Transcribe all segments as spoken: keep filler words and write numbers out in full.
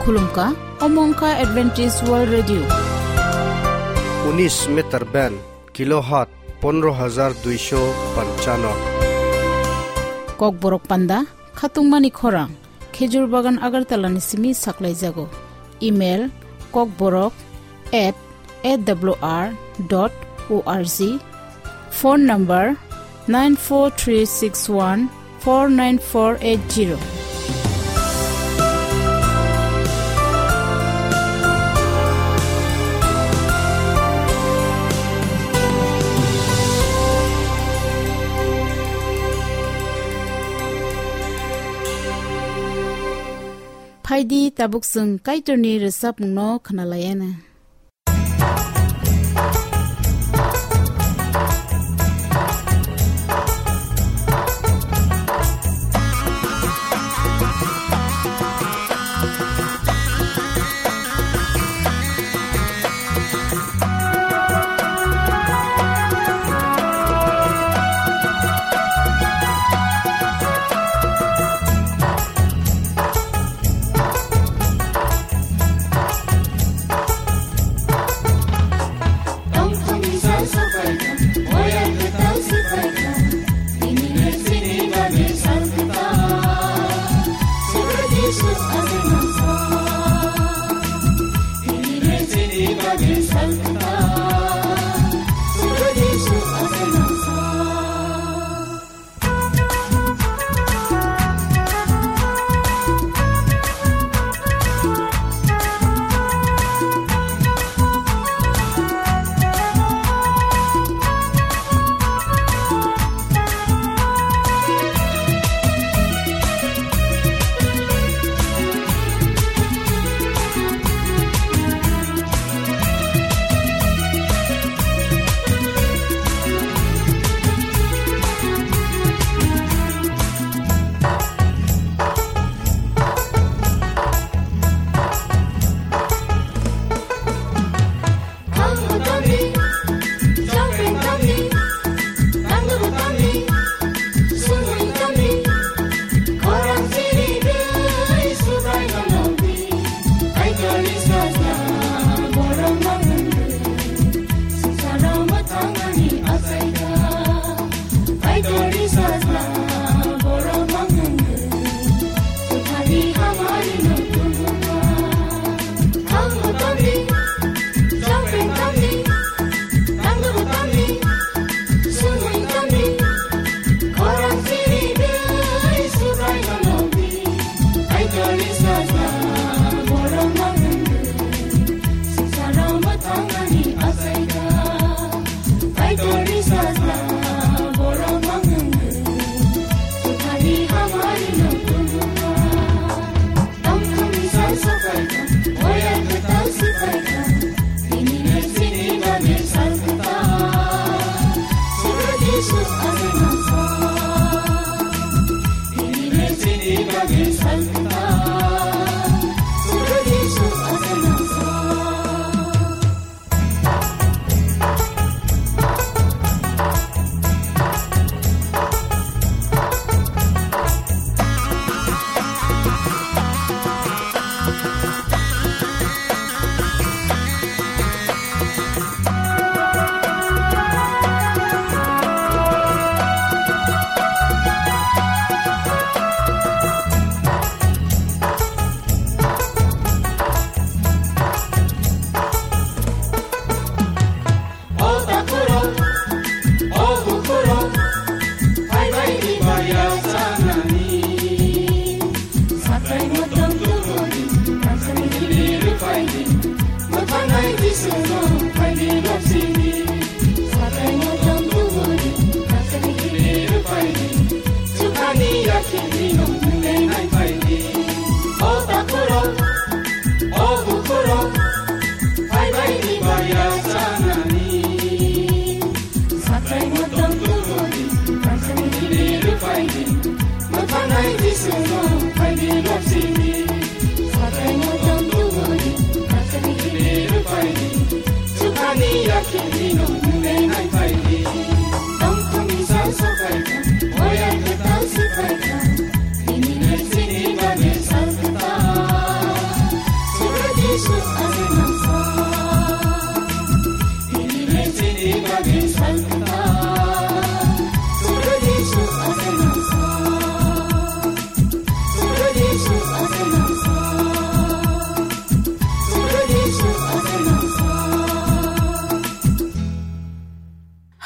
Khulumkha, omo wngkha Adventist World Radio. Unis meter band, kilohertz pondro hajar duisho panchano. Kokborok panda, khatungmani khorang, Khejur Bagan Agartala ni simi saklaijago. Email, kokborok at A W R dot O R G. Phone number nine four three six one four nine four eight zero. Phaidi tabuk chwng Kaitorni rwchapmungno khwnalaiana.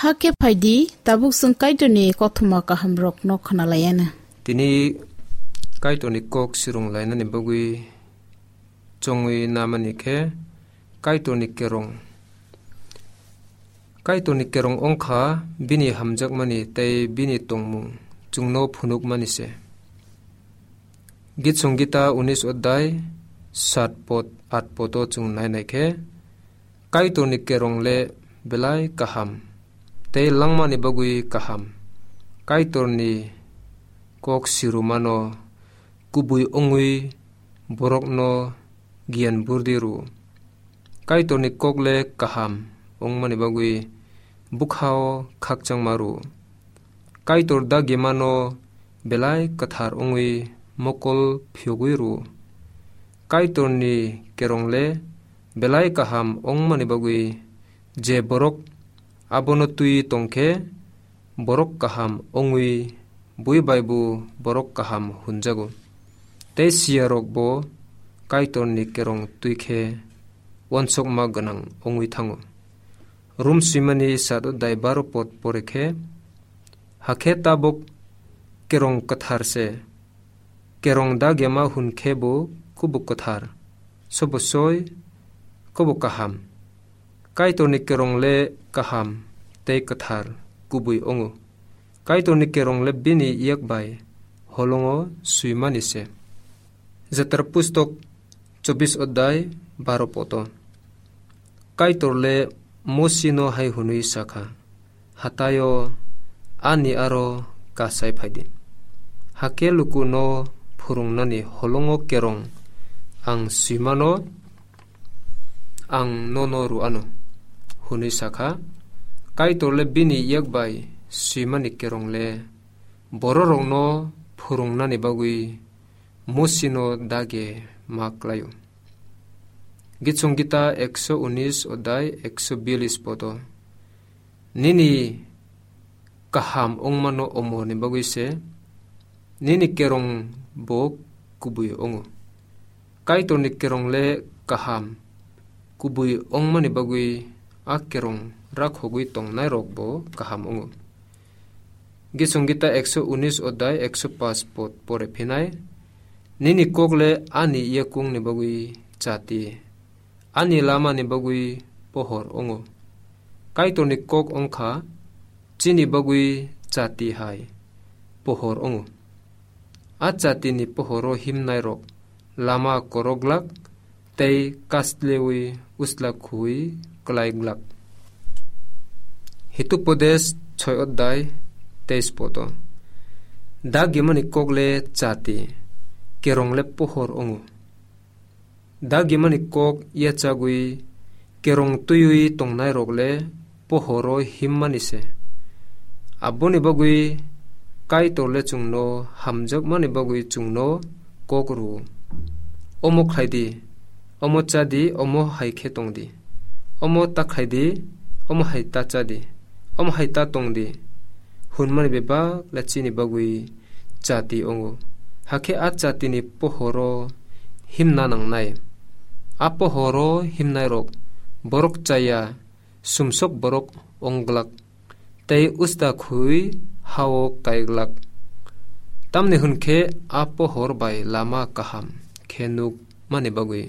Hakhe phaidi, tabuk chwng Kaitorni kothoma kahamrokno khwnalaianw. Tini Kaitorni kok swrwng lainani bagwi chongwi namani khe Kaitorni kerong. Kaitorni kerong wngkha bini hamjakmani tei bini tongmung chwngno phunukmani se. Git Songita unis odhyay sat pod, at podo chwng nainai khe, Kaitorni kerong le belai kaham, tei langmani bagwi kaham. Kaitorni kok sirumano kubui wngwi borokno giyan burdi rw. Kaitorni kok le kaham wngmani bagwi bwkhao khakchangma rw. Kaitor dagimano belai kwthar wngwi mokol phiyogwi rw. Kaitorni kerong le belai kaham wngmani bagwi je borok abono twi tong khe, borok kaham wngwi bui bai bo borok kaham hwnjago. Tei siyarok bo Kaitorni kerong twi khe uansukma gwnang wngwi thango. Rom swimani sat odhyay baro pod pore khe, hakhe tabuk kerong kwthar se. Kerong dagyama hwn khe bo kubuk kwthar, sobo soi, kobo kaham. Kaitorni kerong le kaham tei kwthar kubui wngo. Kaitorni kerong le bini yak bai holongo swimani se. Jatra pustok chobbish odhyay baro podo. Kaitor le Mosino hai hwnwi sakha, "Hataio ani aro kasai phaidi. Hakhe lukuno phwrwngnani holongo kerong ang swimano ang nono rw anw," hwnwi sakha. Kaitor le bini yak bai swimani kerong le bororokno phwrwngnani bagwi Mosino dage ma klaio. Git Songita ekso unis odhyay ekso biyalish podo. Nini kaham wngmano omorni bagwi se, nini kerong bo kubui wngo. Kaitorni kerong le kaham kubui wngmani bagwi a kerong rakhogwi tongnairok bo kaham wngo. Git Songita ekso unis odhyay ekso paanch pod pore phinai, "Nini kok le ani yakungni bagwi chati, ani lamani bagwi pohor wngo." Kaitorni kok wngkha chini bagwi chati hai pohor wngo. A chatini pohoro himnairok lama korok glak tei kaslewi usla khui klai glak. Hitupodes soi odhyay teis podo. Dagimani kok le chati, kerong le pohor wngo. Dagimani kok yachagwi kerong twiwi tongnairok le pohoro himmani se. Aboni bagwi Kaitor le chwngno hamjakmani bagwi chwngno kok rw-o. "Omo khlai di, omo cha di, omo hai khe tong di, omo ta khlai di, omo hai ta cha di, omo hai ta tong di," hwnmani bebak le chini bagwi chati wngo. Hakhe a chatini pohoro himna nangnai. A pohoro himnairok borok chaya sumsok borok wng glak, tei usta khui ha-o kai glak. Tamni hwn khe a pohor bai lama kaham khe nuk mani bagwi.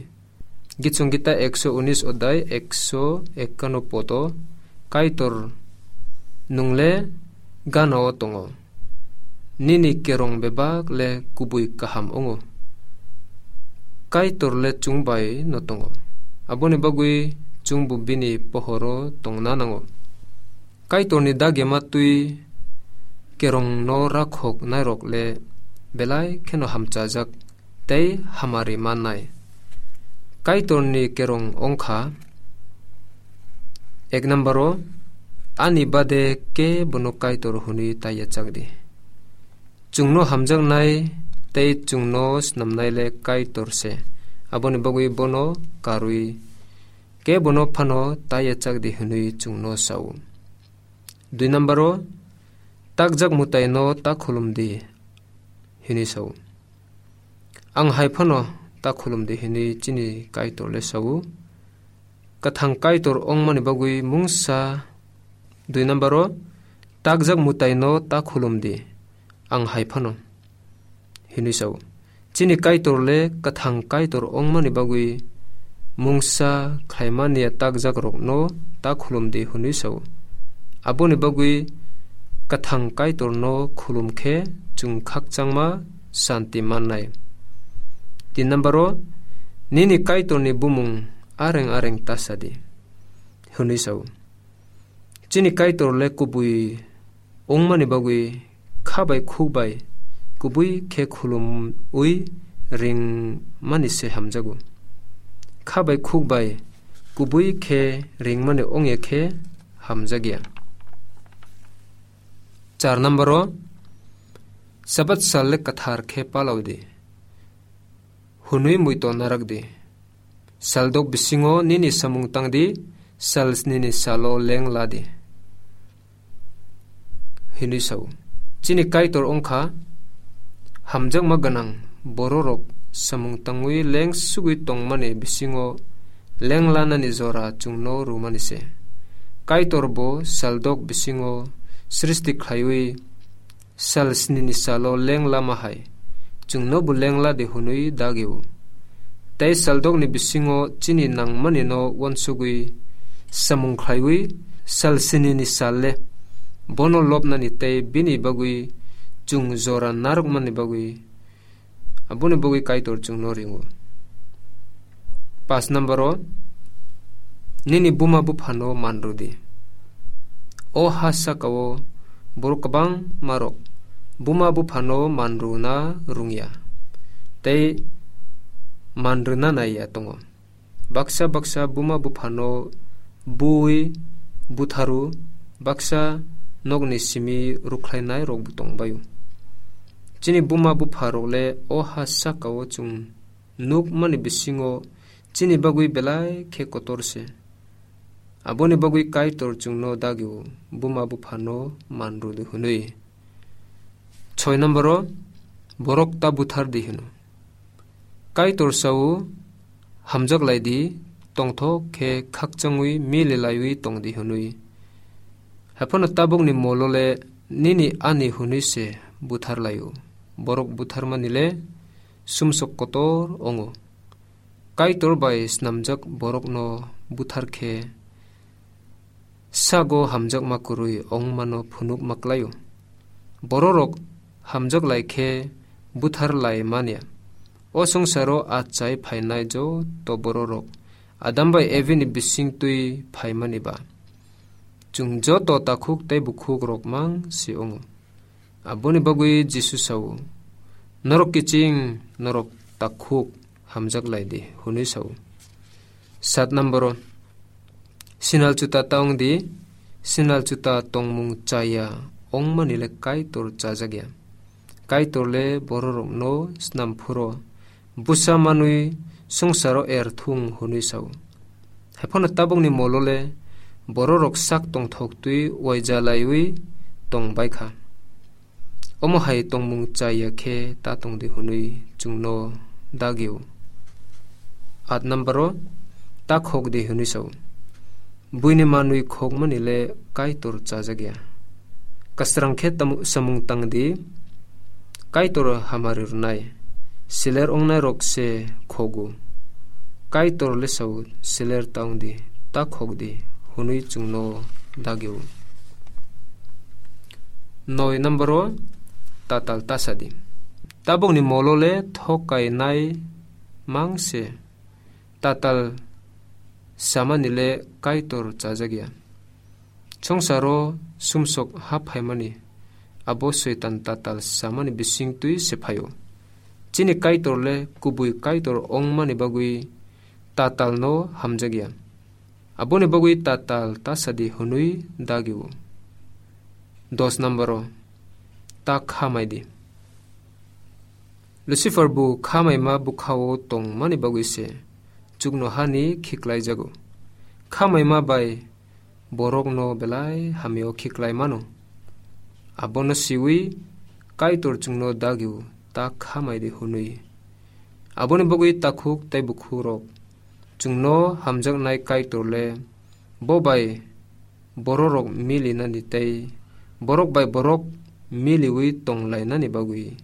Git Songita ekso unis odhyay ekso ekkanno podo, Kaitor nwng le gana-o tongo. Nini kerong bebak le kubui kaham wngo. Kaitor le chwng bai no tongo. Aboni bagwi chwngbo bini pohoro tongna nango. Kaitorni dagema twi kerongno rakhok nairok le belai kheno hamchajak tei hamari mannai. Kaitorni kerong wngkha, ek number-o, "Ani bade kebono Kaitor hwnwi ta yachak di." Chwngno hamjaknai tei chwngno snamnai le Kaitor se. Aboni bagwi bono karwi kebono phano ta yachak di hwnwi chwngno sa-o. Dui number-o, "Takjak mwtaino ta khulum di," hwnwi sa-o. "Ang hai phano ta khulum di," hwnwi chini Kaitor le sa-o. Kwthang Kaitor wngmani bagwi mungsa Dui number o, takjak mwtaino ta khulum di, ang hai phano, hinwi sao. Chini Kaitor le kwthang Kaitor wngmani bagwi mungsa khlaimani takjakrokno ta khulum di, hwnwi sao. Aboni bagwi kwthang Kaitorno khulum khe chwng khakchangma santi mannai. Tin number o, nini Kaitorni bumung areng areng ta sa di, hwnwi sao. Chini Kaitor le kubui wngmani bagwi kha bai khuk bai kubui khe khulumwi ringmani se hamjago. Kha bai khuk bai kubui khe ringmani ongya khe hamjakya. Char number o, Sabat sal le kwthar khe palao di, hwnwi muito narak di. Saldok bisingo nini samung tang di, sal snini salo leng la di, hinwi sao. Chini Kaitor wngkha hamjakma gwnang bororok samung tangwi leng sugwi tongmani bisingo leng lanani jora chwngno rwmani se. Kaitor bo saldok bisingo srishti khlaiwi sal snini salo leng lama hai chwngno bo leng la di hwnwi dagio. Tei saldokni bisingo chini nangmani no uansugwi samung khlaiwi sal snini sal le bono lobnani tei bini bagwi chwng jora narwkmani bagwi, aboni bagwi Kaitor chwngno ringo. Pas number o, nini buma buphano manru di. O ha sakao borok kwbangmarok buma buphano manruna rwngya tei manrwna naiya tongo. Baksa baksa buma buphano bui butharu, baksa nokni simi rukhlainairokbo tongbaio. Chini buma bupharok le o ha sakao chwng nukmani bisingo chini bagwi belai khe kotor se. Aboni bagwi Kaitor chwngno dagio, buma buphano manru di hwnwi. Soi number o, borok ta buthar di hwno. Kaitor sao, hamjak lai di, tongthok khe khakchangwi mili laiwi tong di hwnwi. Haiphano tabukni molo le nini ani hwnwi se buthar laio. Borok butharmani le sumsok kotor ongo. Kaitor bai snamjak borokno buthar khe sago hamjakma kwrwi wngmano phunukma klaio. Bororok hamjak lai khe buthar lai manya. O swngcharo achai phainai joto bororok Adam bai Evi ni bising twi phaimani ba. Chwng joto takhuk tei bukhukrok mang si wngo. Aboni bagwi Jisu sao, "Norok kiching, norok takhuk, hamjak lai di," hwnwi sao. Sat number o, sinal chuta ta wng di, sinal chuta tongmung chaya wngmani le Kaitor chajakya. Kaitor le bororokno snam phuro bwsa manwi swngcharo er thung hwnwi sao. Haiphano tabukni molo le bororok sak tongthok twi uaija laiwi tong bai kha. Omo hai tongmung chaya khe ta tong di hwnwi chwngno dagio. At number o, ta khok di hwnwi sao. Buini manwi khokmani le Kaitor chajakya. Kasrang khe tamu-, samung tang di, Kaitor hamari rwnai, siler wngnai rok se khogo. Kaitor le sao, "Siler ta wng di, ta khok di," hwnwi chwngno dagio. Noi number o, tatal ta sa di. Tabukni molo le thok kainai mang se. Tatal samani le Kaitor chajakya. Swngcharo sumsok ha phaimani, abo Soitan tatal samani bising twi se phaio. Chini Kaitor le kubui Kaitor wngmani bagwi tatalno hamjakya. Aboni bagwi tatal ta sa di hwnwi dagio. Dos number o, ta kha mai di. Lucifer bo kha maima bwkhao tongmani bagwi se chuknohani khiklaijago. Kha maima bai borokno belai hamio khiklai mano. Abono siwi Kaitor chwngno dagio, ta kha mai di hwnwi. Aboni bagwi takhuk tei bukhukrok chwngno hamjaknai Kaitor le bo bai bororok milinani tei borok bai borok miliwi tonglainani bagwi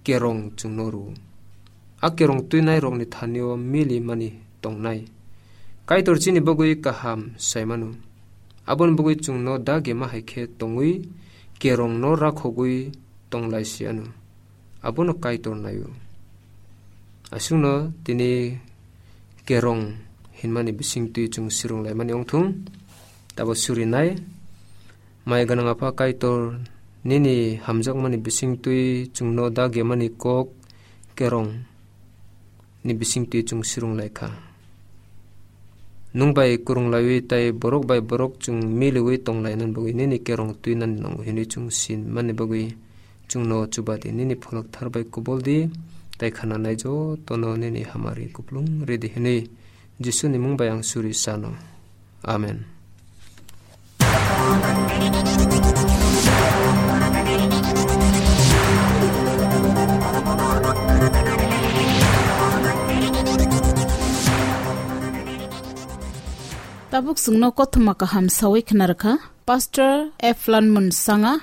kerong chwngno rw. A kerong twinairokni thanio milimani tongnai. Kaitor chini bagwi kaham saimano. Aboni bagwi chwngno dagema hai khe tongwi kerongno rakhogwi tonglaisiano. Abono Kaitor naio. Aswkno tini kerong hinmani bisingtwi chwng swrwnglaimani wngthung. Tabo surinai. Maya gwnang Apha Kaitor, nini hamjakmani bisingtwi chwngno dagemani kok kerong ni bisingtwi chwng swrwng lai kha. Nwng bai kwrwng laiwi tei borok bai borok chwng miliwi tong lainani bagwi nini kerong twinani nango hwnwi chwng sinmani bagwi chwngno chuba di, nini pholok thar bai kubul di, tei khananai jotono nini hamari kuplung ridi hwnwi Jisuni mung bai ang suri sano. Amen. Tabuk chwngno kothoma kaham sawi khna rwkha Pastor Eflan Munsanga.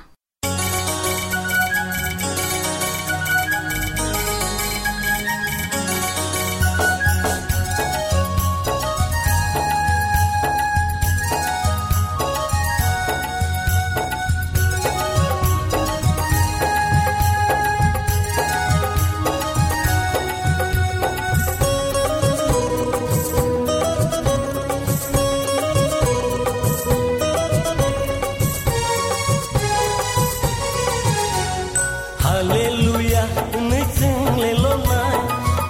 Hallelujah, hwnwi chwng le lonai,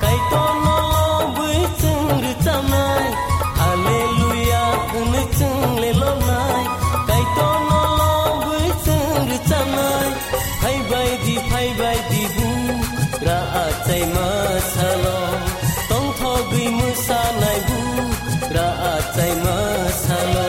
Kaitorno lobwi chwng rwchanai. Hallelujah, hwnwi chwng le lonai, Kaitorno lobwi chwng rwchanai. Phaibai di, phaibai di, bu ra achai ma salo, tongthogwi mwsanai, bu ra achai ma salo.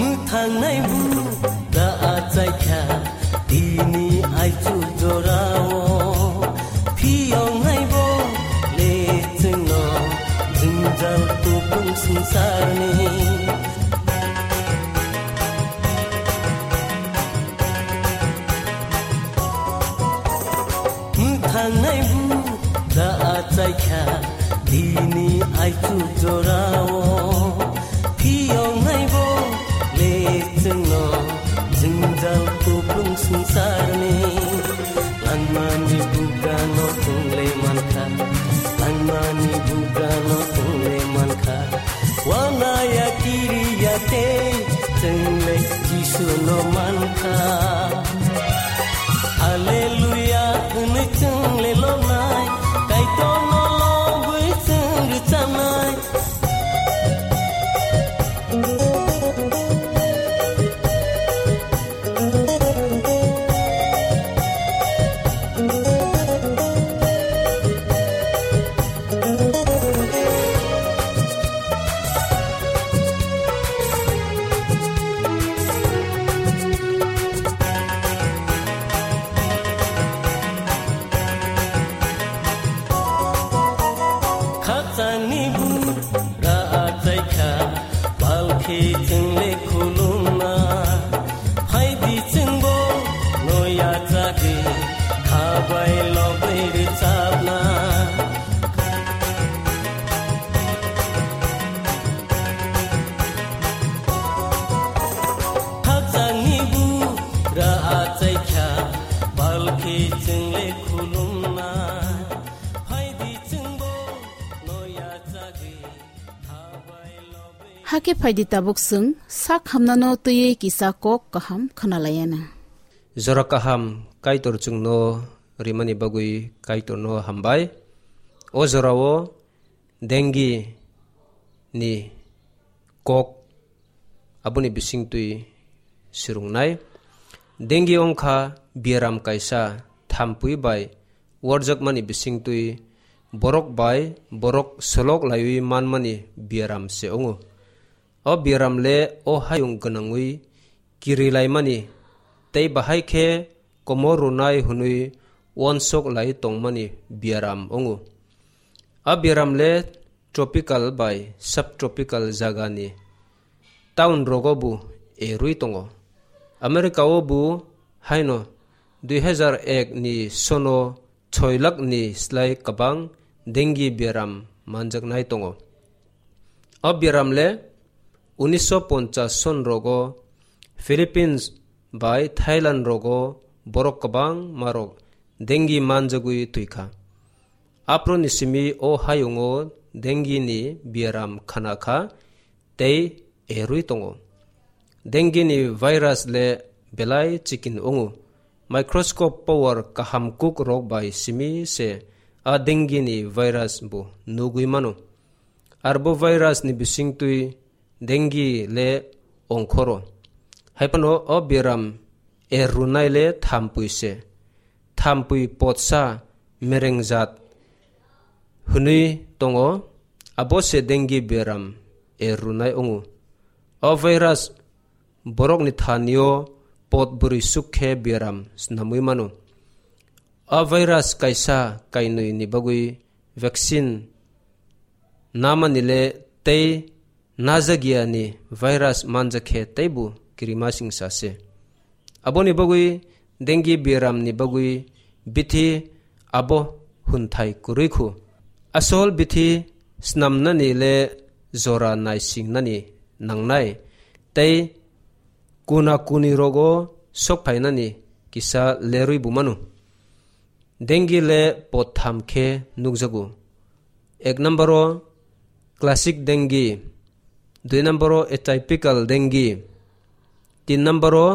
Mwthangnai bu da achaikha tini aichuk jorao, phiyongnai bo le chwngno jwngjal tubung swngcharni. Mwthangnai bu da achaikha tini aichuk jorao, phiyongnai bo le chwngno jwngjal kuplung swngcharni. Langmani bugrano chwng le mankha, langmani bugrano chwng le mankha. Wanaya kiriya tei chwng le Jisuno mankha. Hallelujah hwnwi chwng le lonai, Kaitorno lobwi chwng rwchanai. Khakchangni bu ra achaikha, palkhi chwng le khulumna. Phaidi chwngbo noya chagwi, khabai lobwi rwchapna. Khakchangni bu ra achaikha, palkhi chwng le khulumna. Phaidi chwngbo noya chagwi, khabai lobwi. Hakhe phaidi tabuk chwng sak hamnano twiwi kisa kok kaham khwnalayana. Jora kaham Kaitor chwngno rimani bagwi Kaitorno hambai. O jorao dengi ni kok aboni bisingtwi swrwngnai. Dengue wngkha biaram kaisa thampui bai warjakmani bisingtwi borok bai borok solok laiwi manmani biaram se wngo. O biaram le o hayung gwnangwi kirilaimani tei bahai khe komor rwnai hwnwi uansuk lai tongmani biaram wngo. A biaram le tropical bai subtropical jagani town rogo bo erwi tongo. America o bo haino dui hazar ek ni sono soi lakh ni slai kwbang dengue biaram manjaknai tongo. O biaram le unisho ponchas son rogo Philippines bai Thailand rogo borok kwbangma rok dengue manjagwi twikha. Aphuru ni simi o hayungo dengue ni biaram khana kha tei erwi tongo. Dengue ni virus le belai chikin wngo. Microscope power kaham kuk rok bai simi se a dengue ni virus bo nugwi mano. Arbo virus ni bisingtwi dengue le ongkhoro. Haiphano o biaram er rwnai le thampui se. Thampui potsa merengjat hwnwi tongo, abo se dengue biaram er rwnai wngo. O virus borokni thanio pot bwrwi suk khe biaram snamwi mano. O virus kaisa kainwi ni bagwi vaccine namani le tei najakya ni virus manjakhe teibo kirimasingsa se. Aboni bagwi dengue biaram ni bagwi bithi abo hwnthai kwrwi khu. Asol bithi snamnani le jora naisingnani nangnai tei kuna kuni rogo sokphainani kisa lerwi bo mano. Dengue le potham khe nukjago. Ek number o classic dengue, dui number o atypical dengue, tin number o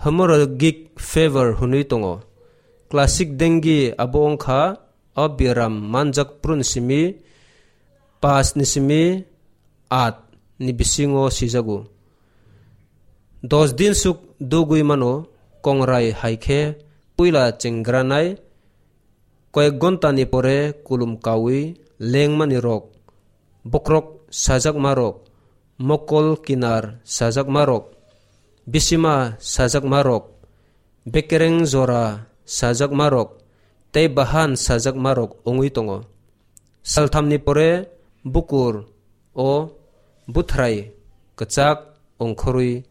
hemorrhagic fever hwnwi tongo. Classic dengue abo wngkha o biaram manjak phuru ni simi pas ni simi at ni bisingo sijago. Dos din suk dugwi mano, kongrai hai khe puila chengranai, koyek gonta ni pore kulum kawi lengmani rok, bokhorok sajakma rok, mokol kinar sajakma rok, bisima sajakma rok, bekereng jora sajakma rok, tei bahan sajakma rok wngwi tongo. Salthamni pore bukur o buthrai kwchak ongkhorwi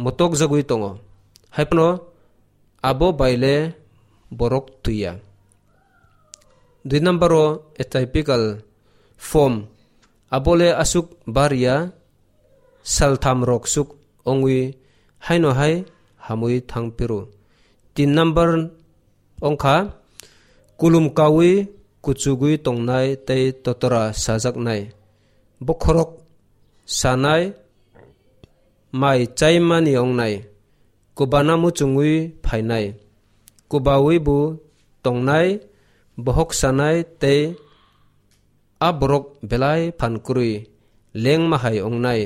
motokjagwi tongo. Haiphano abo bai le borok twiya. Dui number o atypical form, abo le aswk barya, saltham rok suk ongwi haino hai hamwi thang phiro. Tin number wngkha kulum kawi kuchugwi tongnai tei totora sajaknai, bokhorok sanai, mai chaimani wngnai, kubana muchungwi phainai, kubawi bo tongnai, bohok sanai tei a borok belai phan kwrwi lengma hai wngnai.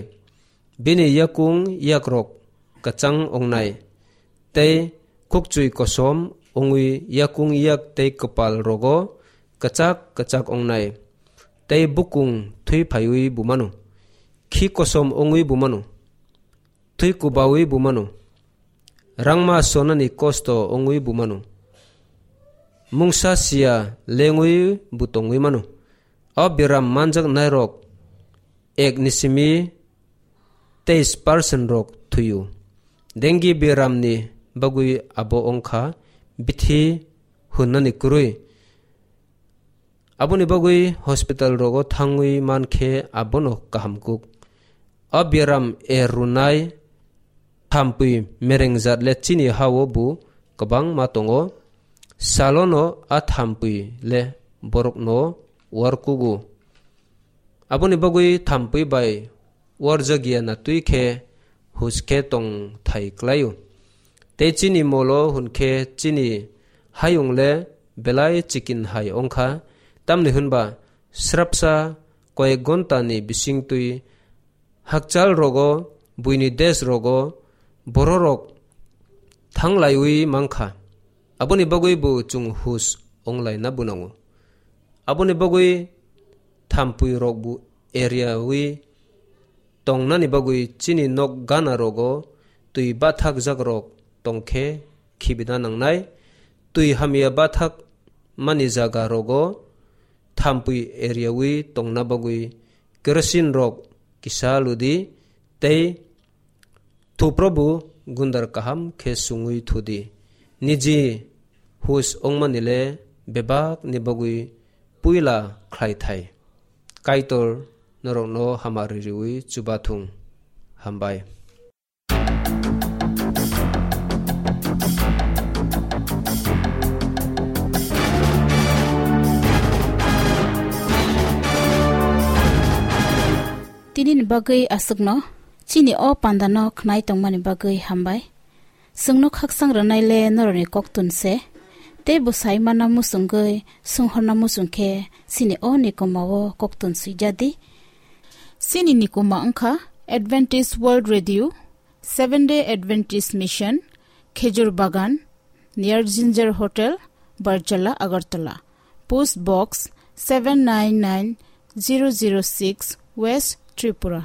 Bini yakung yakrok kwchang wngnai, tei khukchwi kosom wngwi yakung yak tei kwpal rogo kwchak kwchak wngnai, tei bukung thwi phaiwi bumano, khi kosom wngwi bumano, thwi kubawi bumano, rangma sonani kosto wngwi bumano, mungsa sia lengwi bo tongwi mano. O biaram manjaknairok ek ni simi teis percent rok thwio. Dengue biaramni bagwi abo wngkha bithi hwnani kwrwi. Aboni bagwi hospital rogo thangwi mankhe abono kaham kuk. O biaram er rwnai thampui merengjat le chini ha-o bo kwbangma tongo. Salono a thampui le borokno uar kugo. Aboni bagwi thampui bai uarjakya na twi khe huj khe tong thai klaio. Tei chini molo hwn khe chini hayung le belai chikin hai wng kha, tamni hwn ba srapsa koyek gonta ni bising twi hakchal rogo, buini desh rogo, bororok thanglaiwi mankha. Aboni bagwi bo chwng hus onglaina bunango. Aboni bagwi thampui rokbo eriawi tongnani bagwi chini nok gana rogo twi bathakjak rok tongkhe khibina nangnai. Twi hamya bathak mani jaga rogo thampui eriawi tongna bagwi kerosene rok kisa ludi tei thuprobo gundar kaham khe sungwi thudi. Niji hus ongmani le bebak ni bagwi puila khlai thai. Kaitor norokno hamari riwi chubathung. Hambai. Tini ni bagwi aswkno, chini o panda no khnai tongmani bagwi hambai. Chwngno khaksang rwnai le norokni koktun se, tei bwsai mana muchungwi sunghorna muchung khe chini o nikoma o koktun swijadi. Chini nikoma wngkha Adventist World Radio, Seventh Day Adventist Mission, Khejur Bagan, near Ginger Hotel, Barjala, Agartala. Post Box seven nine nine zero zero six, West Tripura.